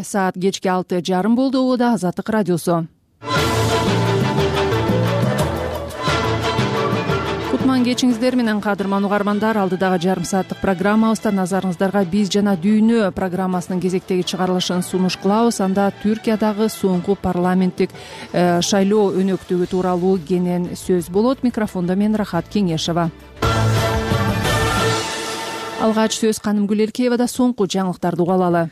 Саат кечки 6:30 болду. Убада Азаттык радиосу. Кутман кечиңиздер менен кадырман угармандар. Алдыдагы жарым сааттык программабызда назарыңыздарга биз жана дүйнө программасынын кезектеги чыгарылышын сунуш кылабыз. Анда Түркиядагы соңку парламенттик шайлоо өнөктүгү тууралуу кенен сөз болот. Микрофондо мен Рахат Кеңешова. Алгач сөз Канымгүл Эркеевада. Соңку жаңылыктарды угалалы.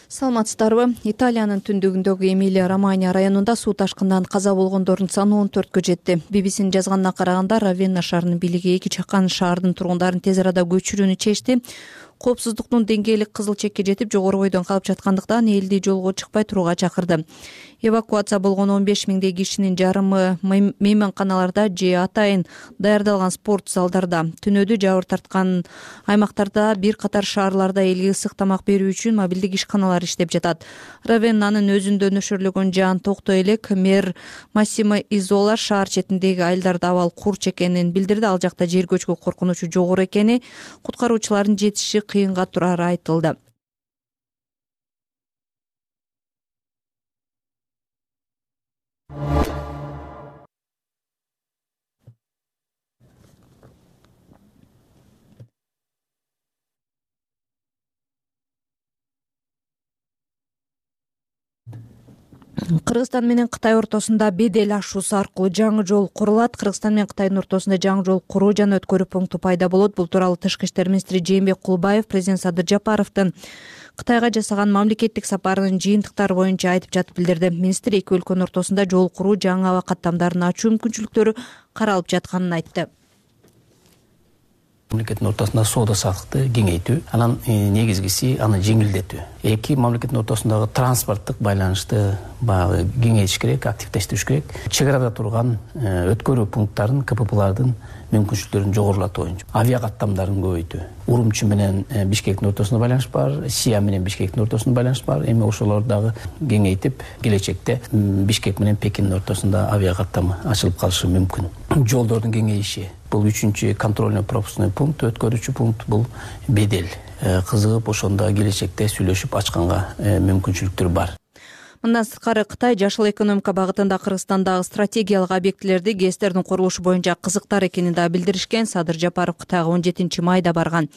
Саламатсыздарбы? Италиянын түндүгүндөгү Эмилия-Романья районунда суу ташкынынан каза болгондордун саны 14кө жетти. BBC-нин жазганына караганда, Равенна шаарынын бийлиги эки чакан шаардын тургундарын тез арада көчүрүүнү чечти. Коопсуздуктун деңгээли кызыл чекке жетип, жогору бойдон калып жаткандыктан элди жолго чыкпай турууга чакырды. Эвакуация болгон 15 миңдей кишинин жарымы мейманканаларда же атайын даярдалган спорт залдарда. Түнөдү жабыр тарткан аймактарда бир катар шаарларда элге ысык тамак берүү үчүн мобилдик ишканалар иштеп жатат. Равеннанын өзүндө нөшөрлөгөн жаан токтой элек. Мэр Массимо Изола шаар четиндеги айылдарда абал курч экенин билдирди. Ал жакта жер көчкү коркунучу жогору экени, куткаруучулардын жетиши кыйынга турары айтылды. Кыргызстан менен Кытай ортосунда бедел ашуусу аркылуу жаңы жол курулат. Кыргызстан менен Кытайдын ортосунда жаңы жол куруу жана өткөрүү пункту пайда болот. Бул тууралуу Тышкы иштер министри Жээнбек Кулбаев президент Садыр Жапаровдун Кытайга жасаган мамлекеттик сапарынын жыйынтыктары боюнча айтып жатып билдирди. Министр эки өлкөнүн ортосунда жол куруу, жаңы аба каттамдарын ачуу мүмкүнчүлүктөрү каралып жатканын айтты. Мамлекеттин ортосунда соода саттыкты кеңейтүү, анан негизгиси аны жеңилдетүү. Эки мамлекеттин ортосундагы транспорттук байланышты баягы кеңейтиш керек, активдештириш керек. Чек арада турган өткөрүү пункттарын, КППлардын мүмкүнчүлүктөрүн жогорулатуу боюнча авиа каттамдарын көбөйтүү. Урумчи менен Бишкектин ортосунда байланыш бар, Сия менен Бишкектин ортосунда байланыш бар. Эми ошолорду дагы кеңейтип, келечекте Бишкек менен Пекиндин ортосунда авиа каттамы ачылып калышы мүмкүн. Жолдордун кеңейиши. Бул 3-чү контрольно-пропускной пункт, өткөрүүчү пункт бул бедел. Кызыгып ошондо келечекте сүйлөшүп ачканга мүмкүнчүлүктөр бар. Мындан сырткары Кытай жашыл экономика багытында Кыргызстандагы стратегиялык объектилерди, ГЭСтердин курулушу боюнча кызыктар экенин да билдиришкен. Садыр Жапаров Кытайга 17 майда барган.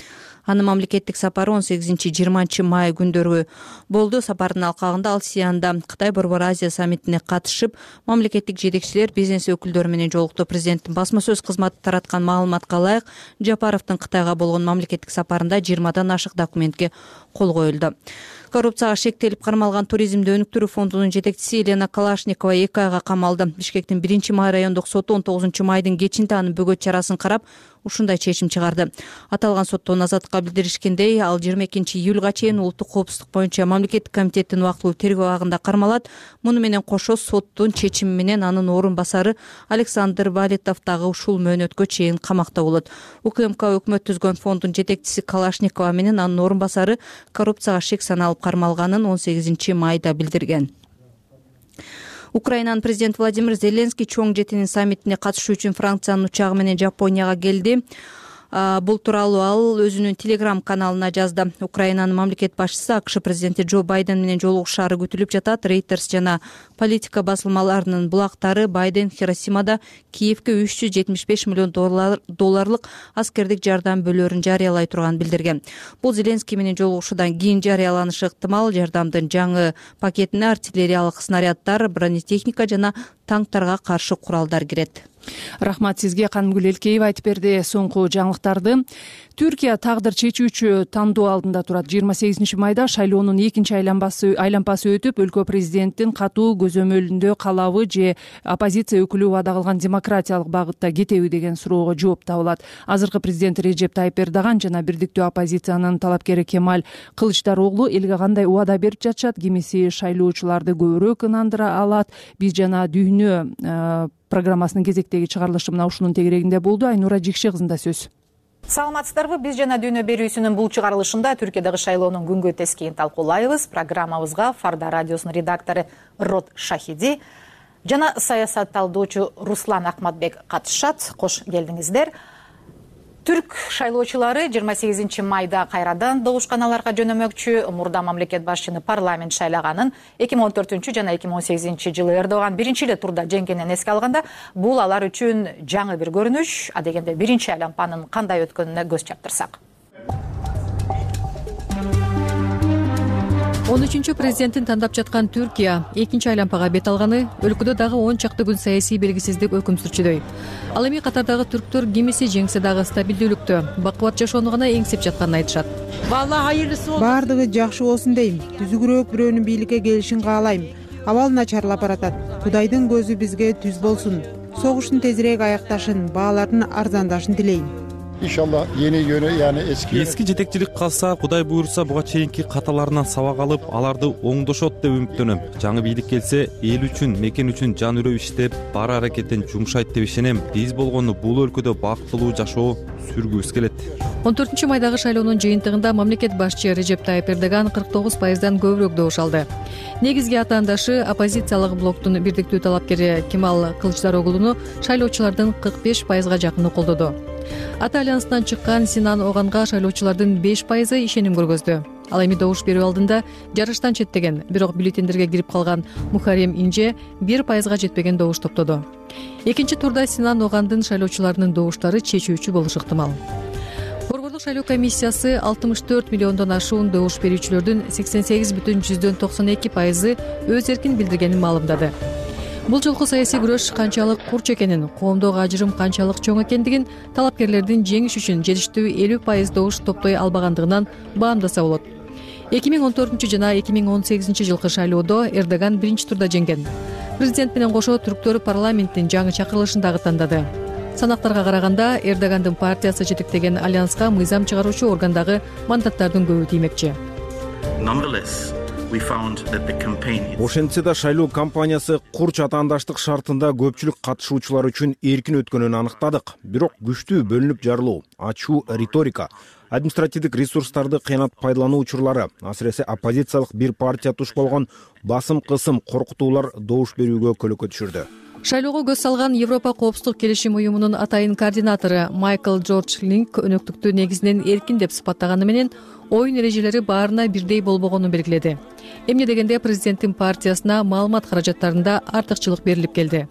Анын мамлекеттик сапары 18-20 май күндөрү болду. Сапардын алкагында ал Сианда Кытай Борбор Азия саммитине катышып, мамлекеттик жетекчилер, бизнес өкүлдөрү менен жолукту. Президенттин басма сөз кызматы тараткан маалыматка ылайык, Жапаровдун Кытайга болгон мамлекеттик сапарында 20дан ашык документке кол коюлду. Коррупцияга шектелип кармалган туризмди өнүктүрүү фондунун жетекчиси Елена Калашникова 2 айга камалды. Бишкектин 1-май райондук соту 19 майдын кечинде анын бөгөт чарасын карап, ушундай чечим чыгарды. Аталган соттон азаттыкка билдиришкендей, ал 22-июлга чейин улуттук коопсуздук боюнча мамлекеттик комитеттин убактылуу тергөө абагында кармалат. Муну менен кошо соттун чечими менен анын орун басары Александр Валитов дагы ушул мөөнөткө чейин камакта болот. УКМК өкмөт түзгөн фонддун жетекчиси Калашникова менен анын орун басары коррупцияга шек саналып кармалганын 18 майда билдирген. Украинанын президенти Владимир Зеленский чоң жетинин саммитине катышуу үчүн Франциянын учагы менен Жапонияга келди. Бул тууралуу ал өзүнүн Telegram каналына жазды. Украинанын мамлекет башчысы АКШ президенти Джо Байден менен жолугушаары күтүлүп жатат. Reuters жана политика басылмаларынын булактары Байден Хиросимада Киевке 375 миллион долларлык аскердик жардам бөлөрүн жарыялай турганын билдирген. Бул Зеленский менен жолугушуудан кийин жарыяланышы ыктымал. Жардамдын жаңы пакетине артиллериялык снаряддар, бронетехника жана танктарга каршы куралдар кирет. Рахмат сизге, Канымгүл Эркеева айтып берди соңку жаңылыктарды. Түркия тагдыр чечүүчү тандоо алдында турат. 28 майда шайлоонун экинчи айланпасы өтүп, өлкө президенттин катуу көзөмөлүндө калабы же оппозиция өкүлү убада кылган демократиялык багытта кетеби деген суроого жооп табылат. Азыркы президент Режеп Тайып Эрдоган жана бирдиктүү оппозициянын талапкери Кемаль Кылычдароглу элге кандай убада берип жатышат, кимиси шайлоочуларды көбүрөөк ынандыра алат. Биз жана дүйнө программасынын кезектеги чыгарылышы мына ушунун тегерегинде болду. Айнура Жикше кызында сөз. Саламатсыздарбы? Биз жана дүйнө берүүсүнүн бул чыгарылышында Түркиядагы шайлоонун күнгө тескейин талкуулайбыз. Программабызга Фарда радиосунун редактору Рот Шахиди жана саясат талдоочу Руслан Акматбек катышат. Кош келдиңиздер. Түрк шайлоочулары 28 майда кайрадан добушканаларга жөнөмөкчү. Мурда мамлекет башчыны парламент шайлаганын 2014 жана 2018 жылы Эрдоган биринчи эле турда жеңгенин эске алганда, бул алар үчүн жаңы бир көрүнүш. Адегенде биринчи айлампанын кандай өткөнүнө көз чаптырсак. 13-чү президентин тандап жаткан Түркия экинчи айлампага бет алганы өлкөдө дагы 10 чакты күн саясий белгисиздик өкүм сүрчүдөй. Ал эми катардагы түрктөр кимиси жеңсе дагы стабилдүүлүктө, бакубат жашоону гана эңсеп жатканын айтышат. Баардыгы жакшы болсун дейм. Түзүгүрөөк бирөөнүн бийликке келишин каалайм. Абал начарлап баратат. Кудайдын көзү бизге түз болсун. Согуштун тезирээк аякташын, баалардын арзандашын тилейм. İnşallah yeni yönü yani эски жетекчилик калса, Кудай буйрса буга чейинки каталарынан сабак алып, аларды оңдошот деп үмүттөнөм. Жаңы бийлик келсе, эл үчүн, мекен үчүн жан үрөп иштеп, бар аракетин жумшайт деп ишенем. Биз болгону бул өлкөдө бактылуу жашоо сүргүбүз келет. 14 майдагы шайлоонун жыйынтыгында мамлекет башчы Режеп Тайып Эрдоган 49%дан көбүрөөк добуш алды. Негизги атаандашы оппозициялык блоктун бирдиктүү талапкери Кемал Кылычдароглуну шайлоочулардын 45%га жакыны колдоду. Ата альянсынан чыккан Синан Оганга шайлоочулардын 5% ишеним көргөздү. Ал эми добуш берүү алдында жарыштан четтеген, бирок бюллетендерге кирип калган Мухаррем Инже 1%га жетпеген добуш топтоду. Экинчи турда Синан Огандын шайлоочуларынын добуштары чечүүчү болушу ыктымал. Борборлук шайлоо комиссиясы 64 миллиондон ашуун добуш берүүчүлөрдүн 88,92% өз эркин билдиргенин маалымдады. Бул жолку саясий күрөш канчалык курч экенин, коомдогу ажырым канчалык чоң экендигин талапкерлердин жеңиш үчүн жетиштүү 50% добуш топтой албагандыгынан баамдаса болот. 2014 жана 2018 жылкы шайлоодо Эрдоган биринчи турда жеңген. Президент менен кошо түрктөр парламенттин жаңы чакырылышын дагы тандады. Санактарга караганда Эрдогандын партиясы жетектеген альянска мыйзам чыгаруучу органдагы мандаттардын көбү тиймекчи. Ошентсе да шайлоо кампаниясы курч атаандаштык шартында көпчүлүк катышуучулар үчүн эркин өткөнүн аныктадык. Бирок күчтүү бөлүнүп жарылуу, ачуу риторика, административдик ресурстарды кыянат пайдалануу учурлары, асыресе оппозициялык бир партия туш болгон басым-кысым, коркутуулар добуш берүүгө көлөкө түшүрдү. Шайлоого көз салган Европа коопсуздук келишим уюмунун атайын координатору Майкл Джордж Линк өнөктүктү негизинен эркин деп сыпаттаганы менен оюн эрежелери баарына бирдей болбогонун белгиледи. Эмне дегенде президенттин партиясына маалымат каражаттарында артыкчылык берилип келди.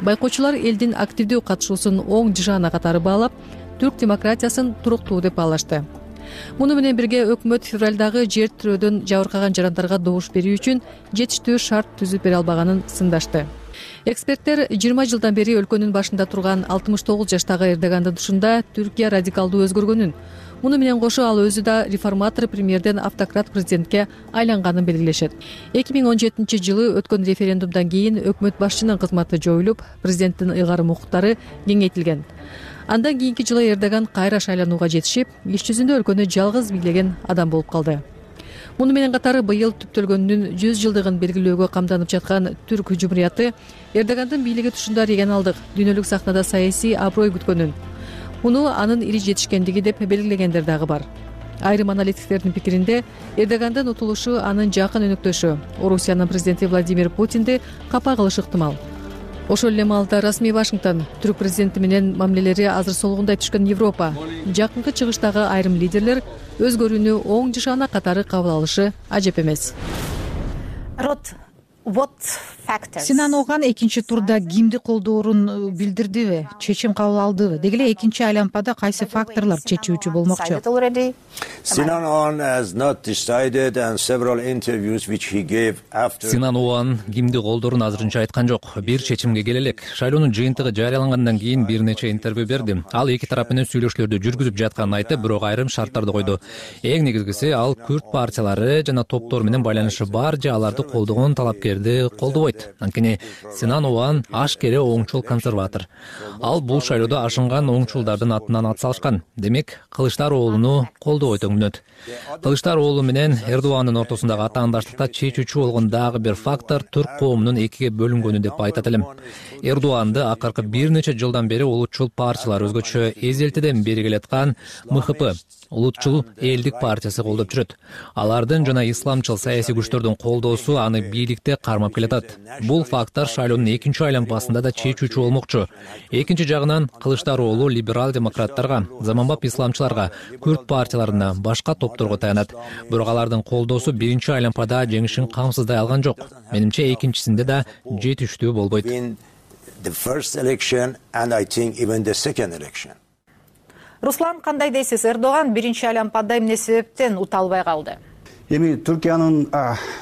Байкоочулар элдин активдүү катышуусун оң жышаана катары баалап, түрк демократиясын туруктуу деп баалашты. Муну менен бирге өкмөт февралдагы жер тирөөдөн жабыркаган жарандарга добуш берүү үчүн жетиштүү шарт түзүп бере албаганын сындашты. Эксперттер 20 жылдан бери өлкөнүн башында турган 69 жаштагы Эрдогандын тушунда Түркия радикалдуу өзгөргөнүн, муну менен кошо ал өзү да реформатор премьерден автократ президентке айланганын белгилешет. 2017 жылы өткөн референдумдан кийин өкмөт башчынын кызматы жоюлуп, президенттин ыйгарым укуктары кеңейтилген. Андан кийинки жылы Эрдоган кайра шайланууга жетишип, иш жүзүндө өлкөнү жалгыз бийлеген адам болуп калды. Муну менен катары быйыл түптөлгөнүнүн 100 жылдыгын белгилөөгө камданып жаткан Түрк Жумурияты Эрдогандын бийлиги тушунда регионалдык, дүйнөлүк сахнада саясий аброй күткөнүн, муну анын ири жетишкендиги деп белгилегендер дагы бар. Айрым аналитиктердин пикиринде Эрдогандын утулушу анын жакын өнөктөшү Орусиянын президенти Владимир Путинди капа кылышы ыктымал. Ошол эле маалда расмий Вашингтон түрк президенти менен мамилелери азыр солгундай түшкөн Европа, жакынкы чыгыштагы айрым лидерлер өзгөрүүнү оң жышаана катары кабыл алышы ажеп эмес. Синан Оган экинчи турда кимди колдоорун билдирдиби, чечим кабыл алдыбы? Деги эле экинчи айлампада кайсы факторлор чечүүчү болмокчу? Синан Оган кимди колдоорун азырынча айткан жок. Бир чечимге келе элек. Шайлоонун жыйынтыгы жарыялангандан кийин бир нече интервью берди. Ал эки тарап менен сүйлөшүүлөрдү жүргүзүп жатканын айтып, бирок айрым шарттарды койду. Эң негизгиси ал күрд партиялары жана топтор менен байланышы бар же аларды колдогон талапкерди колдобойт. Анткени Синан Оган ашкере оңчул консерватор. Ал бул шайлоодо ашынган оңчулдардын атынан ат салышкан. Демек, Кылычдароглуну колдобойт өңүнөт. Кылычдароğlu менен Эрдоğандын ортосундагы атаандаштыкта чечүүчү болгон дагы бир фактор түрк коомунун экиге бөлүнгөнү деп айтат элем. Эрдоğанды акыркы бир нече жылдан бери улутчул партиялар, өзгөчө эзелтеден бери келаткан МХП, улутчул элдик партиясы колдоп жүрөт. Алардын жана исламчыл саясий күчтөрдүн колдоосу аны бийликте кармап келатат. Бул фактор шайлоонун экинчи айланпасында да чечүүчү болмокчу. Экинчи жагынан Кылычдароğlu либерал демократтарга, заманбап исламчыларга, күрд партияларына, башка топторго таянат. Бирок алардын колдоосу биринчи айланпада жеңишин камсыздай алган жок. Менимче экинчисинде да жетиштүү болбойт. Руслан, кандай дейсиз? Эрдоğан биринчи айланпада эмне себептен ута албай калды? Эми Түркиянын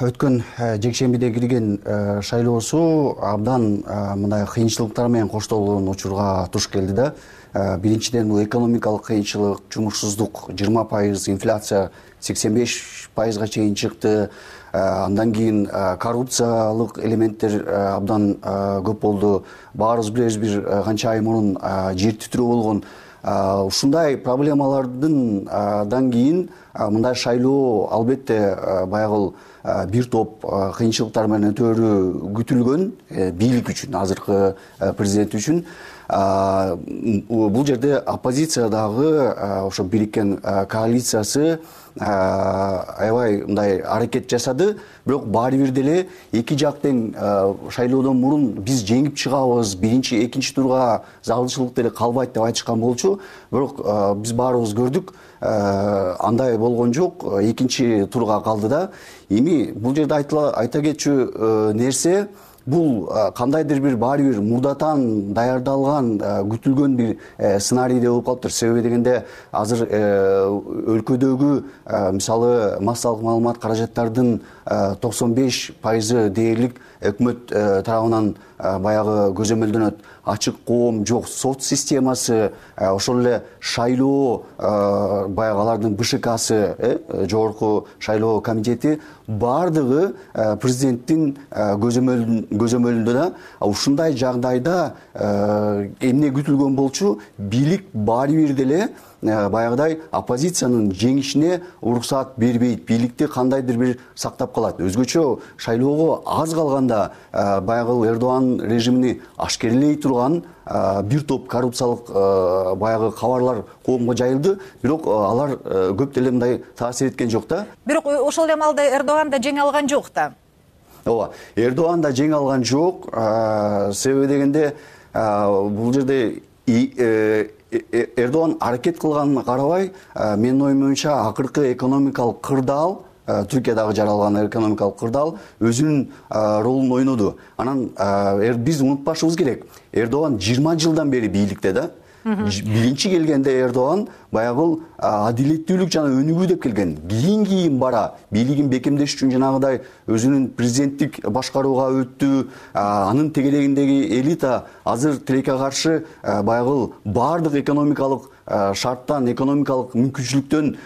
өткөн жекшембиде кирген шайлоосу абдан мындай кыйынчылыктар менен коштолгон учурга туш келди да. Биринчиден бул экономикалык кыйынчылык, жумушсуздук 20%, инфляция 85%га чейин чыкты. Андан кийин коррупциялык элементтер абдан көп болду. Баарыбыз билебиз, бир канча ай мурун жер титирөө болгон. Ушундай проблемалардан кийин мындай шайлоо албетте баягы бир топ кыйынчылыктар менен өтөөрү күтүлгөн бийлик үчүн, азыркы президент үчүн. Бул жерде оппозициядагы ошо бириккен коалициясы аябай мындай аракет жасады, бирок баары бир деле эки жак тең шайлоодон мурун биз жеңип чыгабыз, биринчи, экинчи турга залалчылык деле калбайт деп айтышкан болчу. Бирок биз баарыбыз көрдүк, андай болгон жок, экинчи турга калды да. Эми бул жерде айта кетчү нерсе, бул кандайдыр бир баары бир мурдатан даярдалган, күтүлгөн бир сценарийде болуп калыптыр. Себеби дегенде азыр өлкөдөгү мисалы массалык маалымат каражаттардын 95% дээрлик өкмөт тарабынан баягы көзөмөлдөнөт. Ачык коом жок, сот системасы, ошол эле шайлоо баягы алардын БШКсы, жогорку шайлоо комитети бардыгы президенттин көзөмөлүндө да. Ушундай жагдайда эмне күтүлгөн болчу? Бийлик баары бир деле баягыдай оппозициянын жеңишине уруксаат бербейт, бийликти кандайдыр бир сактап калат. Өзгөчө шайлоого аз калганда баягы Эрдоğан режимини ашкерлей турган бир топ коррупциялык баягы кабарлар коомго жайылды, бирок алар көп деле мындай таасир эткен жок да. Бирок ошол эле маалда Эрдоğан да жеңе алган жок да. Ооба, Эрдоğан да жеңе алган жок. Себеби дегенде бул жерде Эрдоğан аракет кылганына карабай, менин оюмча акыркы экономикалык кырдаал, Түркиядагы жаралган экономикалык кырдаал өзүнүн ролун ойноду. Анан биз унутпашыбыз керек, Эрдоğан 20 жылдан бери бийликте да. Биринчи келгенде Эрдоğан баягы адилеттүүлүк жана өнүгүү деп келген. Кийин бара бийлигин бекемдеш үчүн жанагыдай өзүнүн президенттик башкарууга өттү. Анын тегерегиндеги элита азыр тилекке каршы баягы баардык экономикалык шарттан, экономикалык мүмкүнчүлүктөн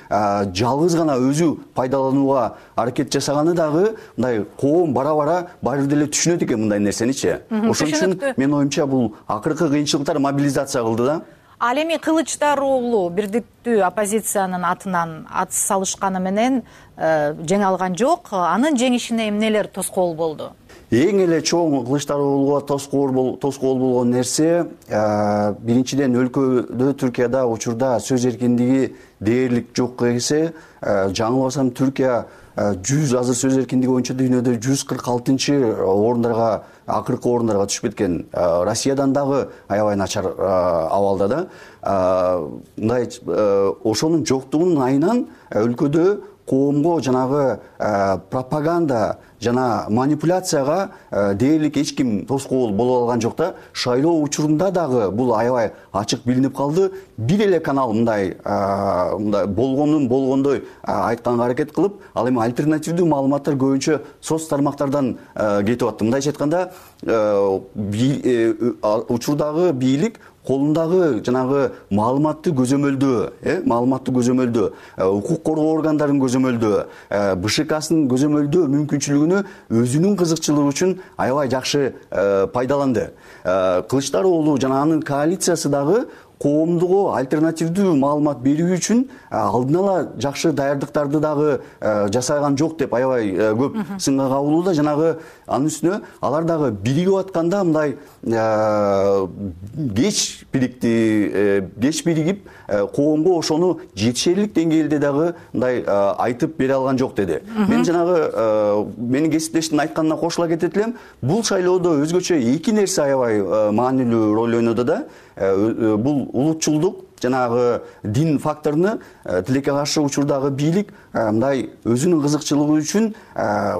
жалгыз гана өзү пайдаланууга аракет жасаганы дагы мындай коом бара-бара баары деле түшүнөт экен мындай нерсеничи. Ошон үчүн менин оюмча бул акыркы кыйынчылыктар мобилизация кылды да. Ал эми Кылычдароğlu бирдиктүү оппозициянын атынан ат салышканы менен жеңе алган жок. Анын жеңишине эмнелер тоскоол болду? Эң эле чоң Кылычдароğluга тоскоол болгон нерсе биринчиден өлкөдө Түркияда учурда сөз эркиндиги дээрлик жок эсе, жаңылбасам Түркия 100 азыр сөз эркиндиги боюнча дүйнөдө 146 орундарга, акыркы орундарга түшүп кеткен. Россиядан дагы аябай начар абалда да. Мындай ошонун жоктугунун айынан өлкөдө коомго жанагы пропаганда жана манипуляцияга дээрлик эч ким тоскоол боло алган жок да. Шайлоо учурунда дагы бул аябай ачык билинип калды. Бир эле канал мындай болгондун болгондой айтканга аракет кылып, ал эми альтернативдүү маалыматтар көбүнчө соц тармактардан кетип атты. Мындайча айтканда, учурдагы бийлик колундагы жанагы маалыматты көзөмөлдөө, укук коргоо органдарын көзөмөлдөө, БШКсынын көзөмөлдөө мүмкүнчүлүгүнө өзүнүн кызыкчылыгы үчүн аябай жакшы пайдаланды. Кылычдароğlu жана анын коалициясы дагы коомдугу альтернативдүү маалымат берүү үчүн алдын ала жакшы даярдыктарды дагы жасаган жок деп аябай көп сынга кабылууда. Жанагы анын үстүнө алар дагы биригип атканда мындай кеч биригип коомго ошону жетишерлик деңгээлде дагы мындай айтып бере алган жок деди. Мен жанагы менин кесиптештин айтканына кошула кетет элем. Бул шайлоодо өзгөчө эки нерсе аябай маанилүү роль ойноду да. Бул улутчулдук, жанагы дин факторуну тилекке каршы учурдагы бийлик мындай өзүнүн кызыкчылыгы үчүн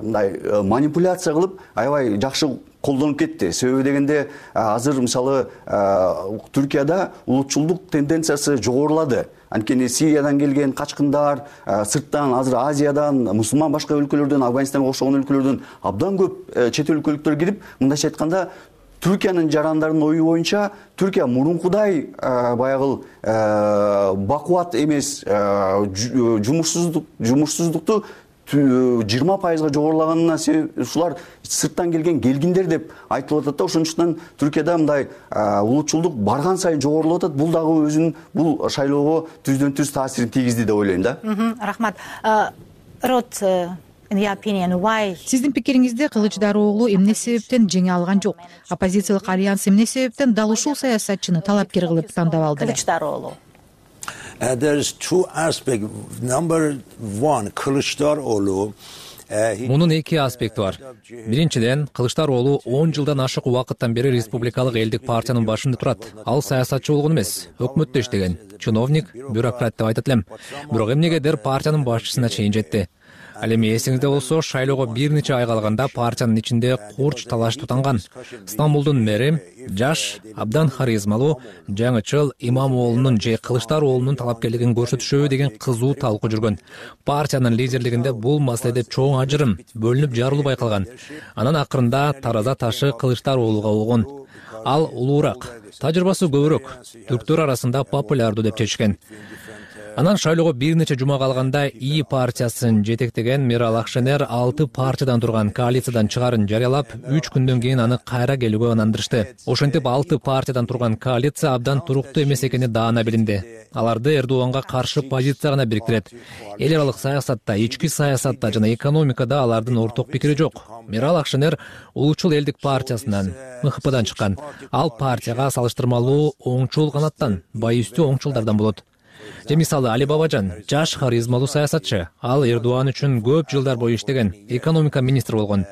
мындай манипуляция кылып аябай жакшы колдонуп кетти. Себеби дегенде азыр мисалы Түркияда улутчулдук тенденциясы жогорулады. Анткени Сириядан келген качкындар, сырттан азыр Азиядан, мусулман башка өлкөлөрдөн, Афганистанга окшогон өлкөлөрдөн абдан көп чет өлкөлүктөр кирип, мындайча айтканда Түркиянын жарандарынын ою боюнча Түркия мурункудай баягы бакубат эмес, жумушсуздукту 20% жогорулаганына себеп ушулар сырттан келгиндер деп айтылып атат да. Ошондуктан Түркияда мындай улутчулдук барган сайын жогорулуп атат. Бул дагы өзүнүн бул шайлоого түздөн түз таасирин тийгизди деп ойлойм да. Рахмат. Рот, Сиздин пикириңизде Кылычдаров уулу эмне себептен жеңе алган жок? Оппозициялык альянс эмне себептен дал ушул саясатчыны талапкер кылып тандап алды? Кылычдаров уулу. There's two aspects. Number one, Kılıçdaroğlu. Мунун эки аспекти бар. Биринчиден, Кылычдароğlu 10 жылдан ашык убакыттан бери Республикалык элдик партиянын башында турат. Ал саясатчы болгон эмес, өкмөттө иштеген, чиновник, бюрократ деп айтат элем. Бирок эмнегедир партиянын башчысына чейин жетти. Ал эми эсиңизде болсо, шайлоого бир нече ай калганда партиянын ичинде курч талаш тутанган. Стамбулдун мэри жаш, абдан харизмалуу жаңычыл Имамоğlu'нун же Кылычдароğlu'нун талапкерлигин көрсөтүшөбү деген кызуу талкуу жүргөн. Партиянын лидерлигинде бул маселеде чоң ажырым, бөлүнүп жарылуу байкалган. Анан акырында тараза ташы Кылычдароğlu'га болгон. Ал улуураак, тажрыйбасы көбүрөөк, түрктөр арасында популярдуу деп чечкен. Анан шайлоого бир нече жума калганда ИИ партиясын жетектеген Мирал Акшенер 6 партиядан турган коалициядан чыгарын жарыялап, 3 күндөн кийин аны кайра келүүгө ынандырышты. Ошентип 6 партиядан турган коалиция абдан туруктуу эмес экени даана билинди. Аларды Эрдоганга каршы позиция гана бириктирет. Эл аралык саясатта, ички саясатта жана экономикада алардын орток пикири жок. Мирал Акшенер улуучул элдик партиясынан, МХПдан чыккан. Ал партияга салыштырмалуу оңчул канаттан, байүстүү оңчулдардан болот. Же мисалы Али Бабажан, жаш харизмалуу саясатчы. Ал Эрдоган үчүн көп жылдар бою иштеген, экономика министри болгон.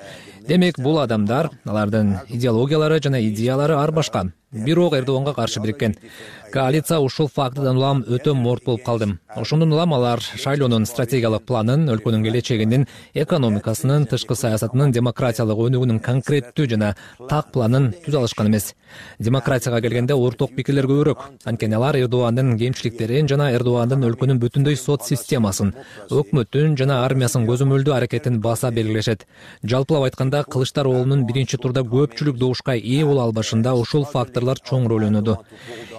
Демек, бул адамдар, алардын идеологиялары жана идеялары ар башка. Бирок Эрдоганга каршы бириккен. Коалиция ушул фактыдан улам өтө морт болуп калды. Ошондон улам алар шайлоонун стратегиялык планын, өлкөнүн келечегинин, экономикасынын, тышкы саясатынын, демократиялык өнүгүүнүн конкреттүү жана так планын түзө алышкан эмес. Демократияга келгенде орток пикирлер көбүрөөк. Анткени алар Эрдогандын кемчиликтерин жана Эрдогандын өлкөнүн бүтүндөй сот системасын, өкмөттүн жана армиясынын көзөмөлдүү аракетин баса белгилешет. Жалпылап айтканда, Кылычдароğlu'нун биринчи турда көпчүлүк добушка ээ боло албашында ушул факторлор чоң роль ойноду.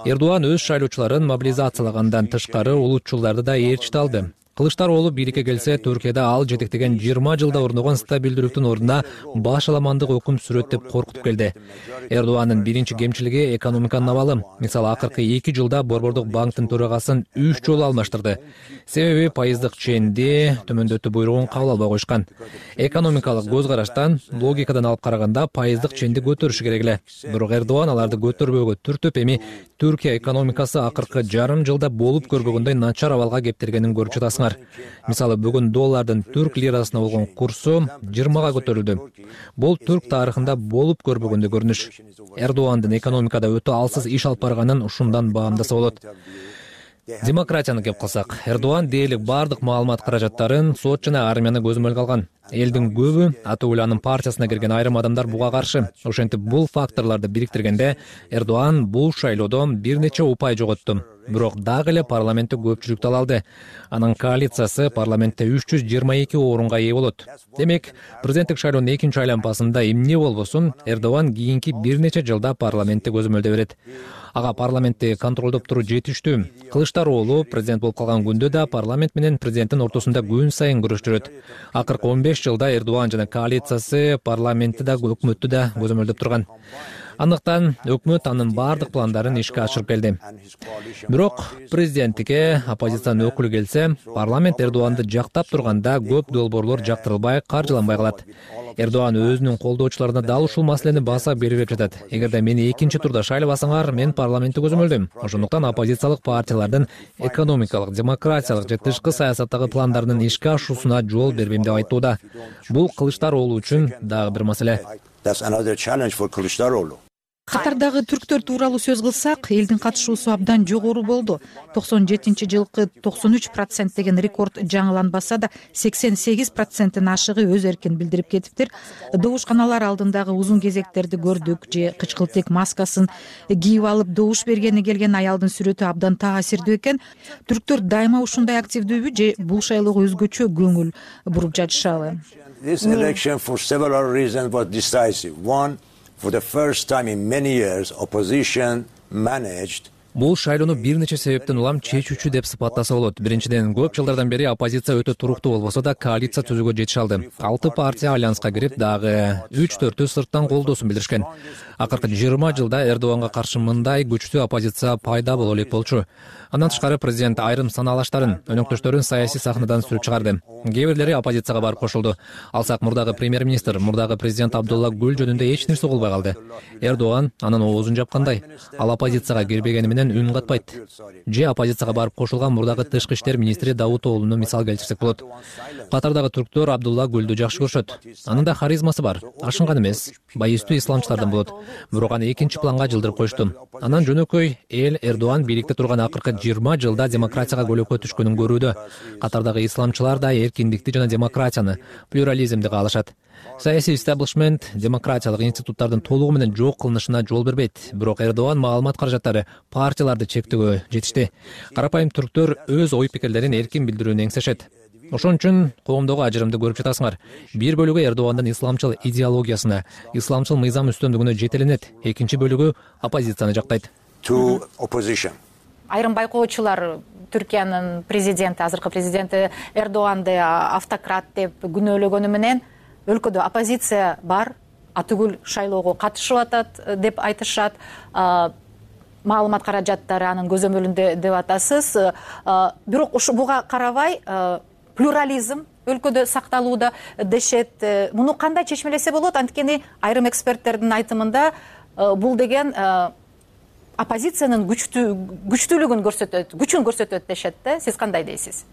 Эрдоган өз шайлоочуларын мобилизациялагандан тышкары улутчулдарды да ээрчите алды. Кылычдароğlu бийликке келсе, Түркияда ал жетектеген 20 жылда орногон стабилдүүлүктүн ордуна баш аламандык өкүм сүрөт деп коркутуп келди. Эрдогандын биринчи кемчилиги экономиканын абалы. Мисалы, акыркы 2 жылда Борбордук банктын төрагасын 3 жолу алмаштырды. Себеби пайыздык ченди төмөндөтүү буйругун кабыл албай коюшкан. Экономикалык көз караштан, логикадан алып караганда пайыздык ченди көтөрүш керек эле. Бирок Эрдоган аларды көтөрбөөгө түртүп, эми Түркия экономикасы акыркы жарым жылда болуп көрбөгөндөй начар абалга кептиргенин көрүп жатасыңар. Мисалы, бүгүн доллардын түрк лирасына болгон курсу 20га көтөрүлдү. Бул түрк тарыхында болуп көрбөгөндөй көрүнүш. Эрдогандын экономикада өтө алсыз иш алып барганын ушундан баамдаса болот. Демократияны кеп калсак, Эрдоган дээрлик бардык маалымат каражаттарын, сот жана армияны көзөмөлгө алган. Элдин көбү Атууланын партиясына кирген айрым адамдар буга каршы. Ошентип бул факторлорду бириктиргенде Эрдоган бул шайлоодо бир нече упай жоготту. Бирок дагы эле парламентте көпчүлүктү ала алды. Анын коалициясы парламентте 322 орунга ээ болот. Демек, президенттик шайлоонун экинчи айланпасында эмне болбосун, Эрдоган кийинки бир нече жылда парламентте көзөмөлдө берет. Ага парламентти контролдоп туруу жетиштүү. Кылычдароğlu президент болуп калган күндө да парламент менен президенттин ортосунда күн сайын күрөш жүрөт. Акыркы 15 жылда Эрдоган жана коалициясы парламентти да, өкмөттү да көзөмөлдөп турган. Андыктан өкмөт анын бардык пландарын ишке ашырып келди. Бирок президенттикке оппозициянын өкүлү келсе, парламент Эрдоганды жактап турганда көп долбоорлор жактырылбай, каржыланбай калат. Эрдоган өзүнүн колдоочуларына дал ушул маселени баса берип жатат. Эгерде мени экинчи турда шайлабасаңар, мен парламентти көзөмөлдөйм. Ошондуктан оппозициялык партиялардын экономикалык, демократиялык же тышкы саясаттагы пландарын ишке ашуусуна жол бербейм деп айтууда. Бул Кылычдароğlu үчүн дагы бир маселе. Катардагы түрктөр тууралуу сөз кылсак, элдин катышуусу абдан жогору болду. 97-жылкы 93% деген рекорд жаңыланбаса да, 88%-тин ашыгы өз эркин билдирип кетиптир. Добушканалар алдындагы узун кезектерди көрдүк, же кычкылтек маскасын кийип алып добуш бергени келген аялдын сүрөтү абдан таасирдүү экен. Түрктөр дайыма ушундай активдүүбү же бул шайлоого өзгөчө көңүл буруп жатышабы? This election for several reasons was decisive. One, for the first time in many years, opposition managed. Бул шайлоону бир нече себептен улам чечүүчү деп сыпаттаса болот. Биринчиден, көп жылдардан бери оппозиция өтө туруктуу болбосо да коалиция түзүүгө жетише алды. 6 партия альянска кирип, дагы 3-4 сырттан колдоосун билдиришкен. Акыркы 20 жылда Эрдоганга каршы мындай күчтүү оппозиция пайда боло элек болчу. Андан тышкары президент айрым санаалаштарын, өнөктөштөрүн саясий сахнадан сүрүп чыгарды. Кээ бирлери оппозицияга барып кошулду. Алсак, мурдагы премьер-министр, мурдагы президент Абдулла Гүл жөнүндө эч нерсе болбой калды. Эрдоган анын оозун жапкандай. Ал оппозицияга кирбегени менен үн катпайт. Же оппозицияга барып кошулган мурдагы тышкы иштер министри Давутоğlu'ну мисал келтирсек болот. Катардагы түрктөр Абдулла Гүлдү жакшы көрүшөт. Анын да харизмасы бар. Ашынган эмес, байыстуу исламчылардан болот. Бирок аны экинчи планга жылдырып коюшту. Анан жөнөкөй эл Эрдоган бийликте турган акыркы 20 жылда демократияга көлөкө түшкөнүн көрүүдө. Катардагы исламчылар да эркиндикти жана демократияны, плюрализмди каалашат. Саясий истеблишмент демократиялык институттардын толугу менен жок кылынышына жол бербейт. Бирок Эрдоган маалымат каражаттары партияларды чектөөгө жетишти. Карапайым түрктөр өз ой пикирлерин эркин билдирүүнү эңсешет. Ошон үчүн коомдогу ажырымды көрүп жатасыңар. Бир бөлүгү Эрдогандын исламчыл идеологиясына, исламчыл мыйзам үстөмдүгүнө жетеленет. Экинчи бөлүгү оппозицияны жактайт. Айрым байкоочулар Түркиянын президенти, азыркы президенти Эрдоганды автократ деп күнөөлөгөнү менен өлкөдө оппозиция бар, атүгүл шайлоого катышып атат деп айтышат. Маалымат каражаттары анын көзөмөлүндө деп атасыз. Бирок буга карабай плюрализм өлкөдө сакталууда дешет. Муну кандай чечмелесе болот? Анткени айрым эксперттердин айтымында бул деген оппозициянын күчтүүлүгүн көрсөтөт, күчүн көрсөтөт дешет да. Сиз кандай дейсиз?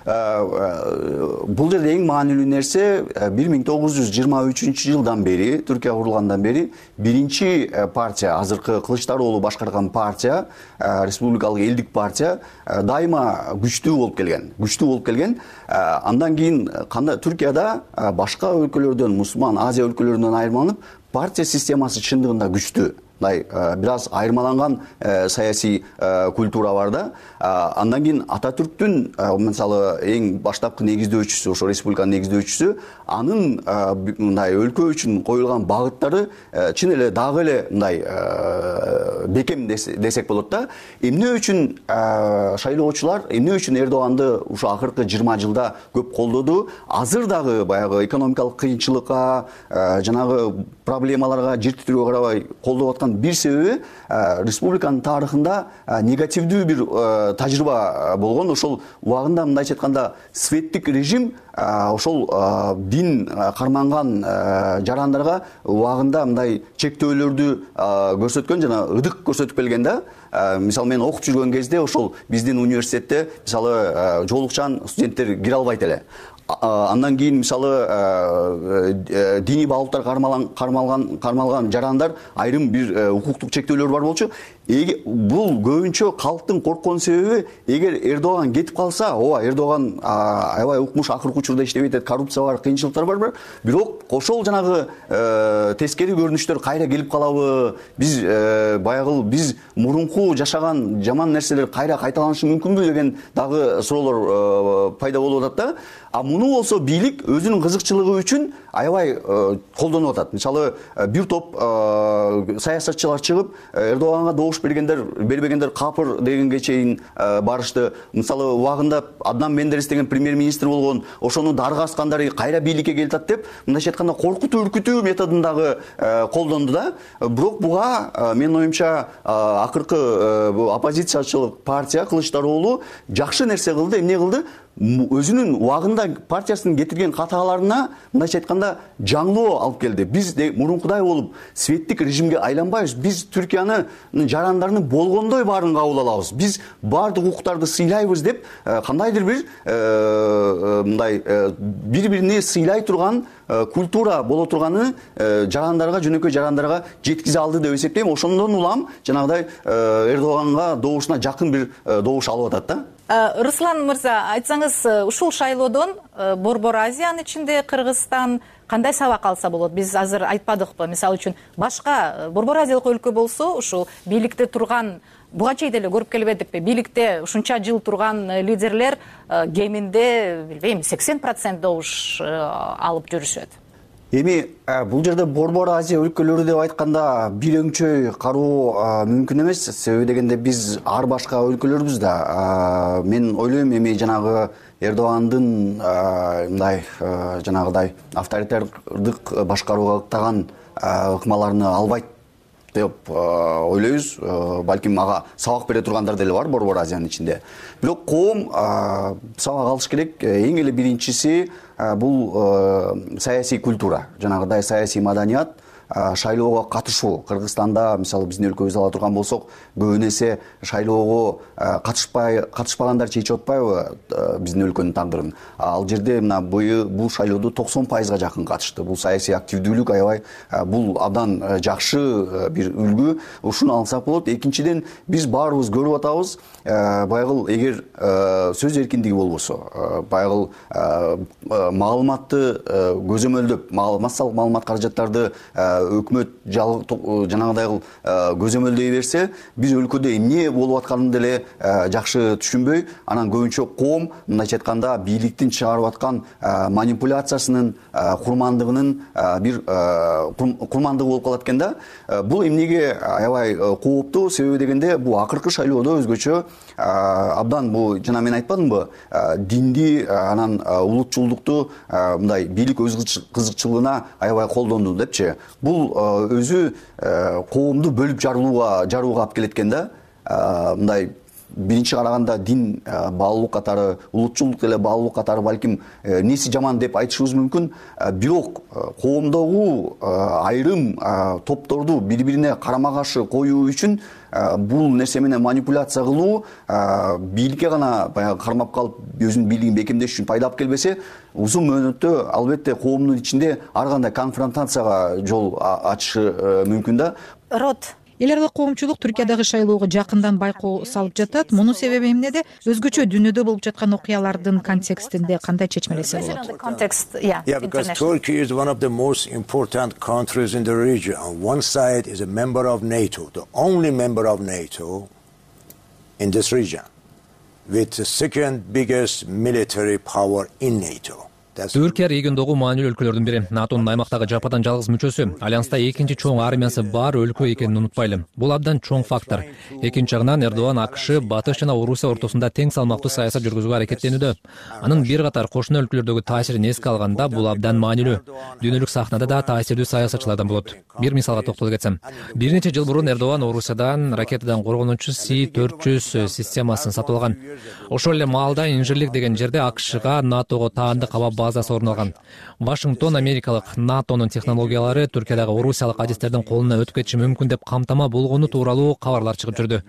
Бул жерде эң маанилүү нерсе 1923-жылдан бери, Түркия курулгандан бери биринчи партия, азыркы Кылычдароğlu башкарган партия, республикалык элдик партия дайыма күчтүү болуп келген. Андан кийин Түркияда башка өлкөлөрдөн, мусулман Азия өлкөлөрүнөн айырмаланып, партия системасы чындыгында күчтүү. Бир аз айырмаланган саясий культура бар да. Андан кийин Ататүрктүн мисалы эң баштапкы негиздөөчүсү, ошо республиканын негиздөөчүсү, анын мындай өлкө үчүн коюлган багыттары чын эле дагы эле мындай бекем десек болот да. Эмне үчүн шайлоочулар, эмне үчүн Эрдоганды ушу акыркы 20 жылда көп колдоду? Азыр дагы баягы экономикалык кыйынчылыкка, жанагы проблемаларга жер титирөөгө карабай колдоп аткан бир себеби республиканын тарыхында негативдүү бир тажрыйба болгон. Ошол убагында мындайча айтканда светтик режим ошол дин карманган жарандарга убагында мындай чектөөлөрдү көрсөткөн жана ыдык көрсөтүп келген да. Мисалы мен окуп жүргөн кезде ошол биздин университетте мисалы жоолукчан студенттер кире албайт эле. Андан кийин мисалы диний багыттар кармалган жарандар айрым бир укуктук чектөөлөр бар болчу. Бул көбүнчө калктын корккон себеби, эгер Эрдоган кетип калса, Эрдоган аябай укмуш, акыркы учурда иштебей атат, коррупция бар, кыйынчылыктар бар. Бирок ошол жанагы тескери көрүнүштөр кайра келип калабы? Биз биз мурунку жашаган жаман нерселер кайра кайталанышы мүмкүнбү деген дагы суроолор пайда болуп атат да. А муну болсо бийлик өзүнүн кызыкчылыгы үчүн аябай колдонуп атат. Мисалы бир топ саясатчылар чыгып Эрдоганга добуш бербегендер капыр дегенге чейин барышты. Мисалы убагында Аднан Мендерес деген премьер-министр болгон, ошону дарга аскандар кайра бийликке келип атат деп, мындайча айтканда коркутуу, үркүтүү методундагы колдонду да. Бирок буга менин оюмча акыркы оппозициячылык партия Кылычдароолу жакшы нерсе кылды. Эмне кылды? Өзүнүн убагында партиясынын кетирген катааларына мындайча айтканда жаңылоо алып келди. Биз мурункудай болуп светтик режимге айланбайбыз. Биз Түркиянын жарандарынын болгондой баарын кабыл алабыз. Биз баардык укуктарды сыйлайбыз деп кандайдыр бир мындай бири-бирине сыйлай турган культура боло турганы жарандарга, жөнөкөй жарандарга жеткизе алды деп эсептейм. Ошондон улам жанагыдай Эрдоганга добушуна жакын бир добуш алып атат да. Руслан мырза, айтсаңыз, ушул шайлоодон Борбор Азиянын ичинде Кыргызстан кандай сабак алса болот? Биз азыр айтпадыкпы? Мисалы үчүн башка Борбор Азиялык өлкө болсо, ушул бийликте турган буга чейин деле көрүп келбедикпи? Бийликте ушунча жыл турган лидерлер кеминде, билбейм, 80% добуш алып жүрүшөт. Эми бул жерде Борбор Азия өлкөлөрү деп айтканда бир өңчөй кароо мүмкүн эмес. Себеби дегенде биз ар башка өлкөлөрбүз да. Мен ойлойм, эми жанагы Эрдогандын мындай жанагыдай авторитардык башкарууга ыктаган ыкмаларны албайт деп ойлойбуз. Балким ага сабак бере тургандар деле бар Борбор Азиянын ичинде. Бирок коом сабак алыш керек. Эң эле биринчиси бул саясий культура, жанагыдай саясий маданият, шайлоого катышуу. Кыргызстанда мисалы биздин өлкөбүздү ала турган болсок, көбүн эсе шайлоого катышпагандар чечип атпайбы биздин өлкөнүн тагдырын. Ал жерде мына бул шайлоодо 90%га жакын катышты. Бул саясий активдүүлүк аябай, бул абдан жакшы бир үлгү. Ушуну алсак болот. Экинчиден, биз баарыбыз көрүп атабыз, байгыл эгер сөз эркиндиги болбосо, байгыл маалыматты көзөмөлдөп, массалык маалымат каражаттарды өкмөт жанагыдай көзөмөлдөй берсе, биз өлкөдө эмне болуп атканын деле жакшы түшүнбөй, анан көбүнчө коом мындайча айтканда бийликтин чыгарып аткан манипуляциясынын курмандыгынын бир курмандыгы болуп калат экен да. Бул эмнеге аябай кооптуу? Себеби дегенде бул акыркы шайлоодо өзгөчө абдан бул жана мен айтпадымбы, динди анан улутчулдукту мындай бийлик өз кызыкчылыгына аябай колдонду депчи. Бул өзү коомду бөлүп жарууга алып келет экен да. Мындай биринчи караганда дин баалуулук катары, улутчулдук деле баалуулук катары балким неси жаман деп айтышыбыз мүмкүн. Бирок коомдогу айрым топторду бири-бирине карама каршы коюу үчүн бул нерсе менен манипуляция кылуу бийликке гана баягы кармап калып өзүнүн бийлигин бекемдеш үчүн пайда алып келбесе, узун мөөнөттө албетте коомдун ичинде ар кандай конфронтацияга жол ачышы мүмкүн да. Рот, эл аралык коомчулук Түркиядагы шайлоого жакындан байкоо салып жатат. Мунун себеби эмнеде? Өзгөчө дүйнөдө болуп жаткан окуялардын контекстинде кандай чечмелесе болот? Yeah, because Turkey is one of the most important countries in the region. On one side is a member of NATO, the only member of NATO in this region, with the second biggest military power in NATO. Түркия региондогу маанилүү өлкөлөрдүн бири, НАТОнун аймактагы жападан жалгыз мүчөсү, альянста экинчи чоң армиясы бар өлкө экенин унутпайлы. Бул абдан чоң фактор. Экинчи жагынан Эрдоган АКШ Батыш жана Орусия ортосунда тең салмактуу саясат жүргүзүүгө аракеттенүүдө. Анын бир катар кошуна өлкөлөрдөгү таасирин эске алганда бул абдан маанилүү. Дүйнөлүк сахнада да таасирдүү саясатчылардан болот. Бир мисалга токтоло кетсем, бир нече жыл мурун Эрдоган Орусиядан ракетадан коргонуучу С-400 системасын сатып алган. Ошол эле маалда Инжирлик деген жерде АКШга НАТОго таандык аба базасы орун алган. Вашингтон Америкалык НАТОнун технологиялары Түркиядагы орусиялык адистердин колуна өтүп кетиши мүмкүн деп камтама болгону тууралуу кабарлар чыгып жүрдү.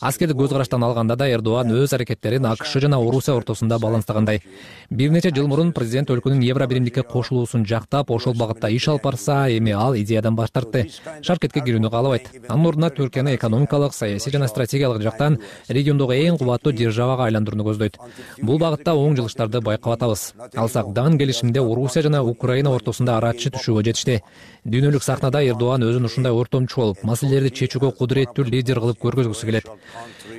Аскердик көз караштан алганда да Эрдоган өз аракеттерин АКШ жана Орусия ортосунда баланстагандай. Бир нече жыл мурун президент өлкөнүн Евро биримдикке кошулуусун жактап, ошол багытта иш алып барса, эми ал идеядан баш тартты. Шаркетке кирүүнү каалабайт. Анын ордуна Түркияны экономикалык, саясий жана стратегиялык жактан региондогу эң кубаттуу державага айландырууну көздөйт. Бул багытта оң жылыштарды байкап атабыз. Алсак жаңы келишимде Орусия жана Украина ортосунда арачы түшүүгө жетишти. Дүйнөлүк сахнада Эрдоган өзүн ушундай ортомчу болуп, маселелерди чечүүгө кудуреттүү лидер кылып көргөзгүсү келет.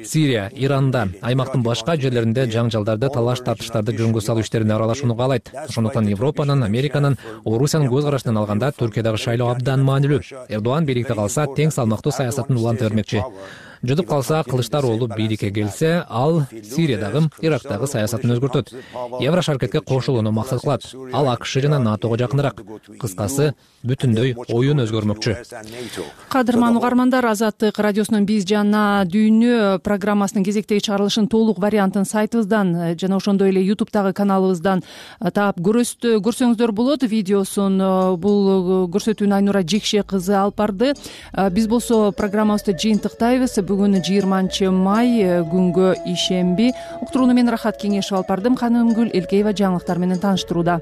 Сирия, Иранда, аймактын башка жерлеринде жаңжалдарды, талаш тартыштарды жөнгө салуу иштерине аралашууну каалайт. Ошондуктан Европанын, Американын, Орусиянын көз карашынан алганда Түркиядагы шайлоо абдан маанилүү. Эрдоган бийликте калса, тең салмактуу саясатын уланта бермекчи. Жутуп калса, Кылычдароğlu бийликке келсе, ал Сириядагы, Ирактагы саясатын өзгөртөт. Евро шаркетке кошулууну максат кылат. Ал АКШ жана НАТОго жакыныраак. Кыскасы, бүтүндөй оюн өзгөрмөкчү. Кадырман угармандар, Азаттык радиосунун Биз жана дүйнө программасынын кезектеги чыгарылышын толук вариантын сайтыбыздан жана ошондой эле YouTube'дагы каналыбыздан таап көрсөңүздөр болот. Видеосун бул көрсөтүүнү Айнура Жекше кызы алып барды. Биз болсо программабызды жыйынтыктайбыз. Бүгүн 20 май күнгө ишемби. Уктурууну мен Рахат Кеңешев алып бардым. Канымгүл Элкеева жаңылыктар менен тааныштырууда.